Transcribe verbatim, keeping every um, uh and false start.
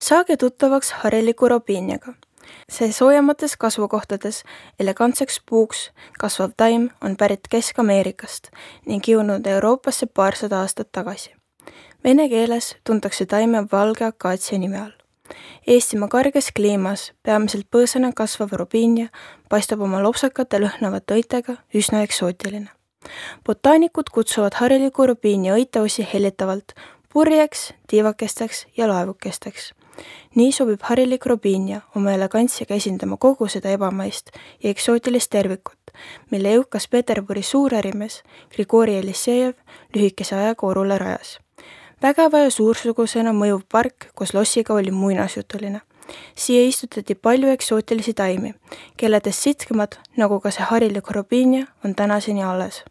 Saage tuttavaks hariliku robiiniaga. See soojamates kasvukohtades elegantseks puuks kasvav taim on pärit Kesk-Ameerikast ning jõudnud Euroopasse paarsada aastat tagasi. Vene keeles tuntakse taime valge akaatsia nime all. Eestimaa karges kliimas peamiselt põõsana kasvav robiinia paistab oma lopsakate lõhnavate õitega üsna eksootiline. Botaanikud kutsuvad hariliku robiinia õiteosi hellitavalt purjeks, tiivakesteks ja laevukesteks. Nii sobib harilik robiinia oma elegantsiga esindama kogu seda ebamaist ja eksootilist tervikut, mille jõukas Peterburi suurärimees Grigori Elissejev lühikese ajaga orule rajas. Vägeva ja suursugusena mõjuv park koos lossiga oli muinasjutuline. Siia istutati palju eksootilisi taimi, kelledest sitkemad, nagu ka see harilik robiinia, on tänaseni alles.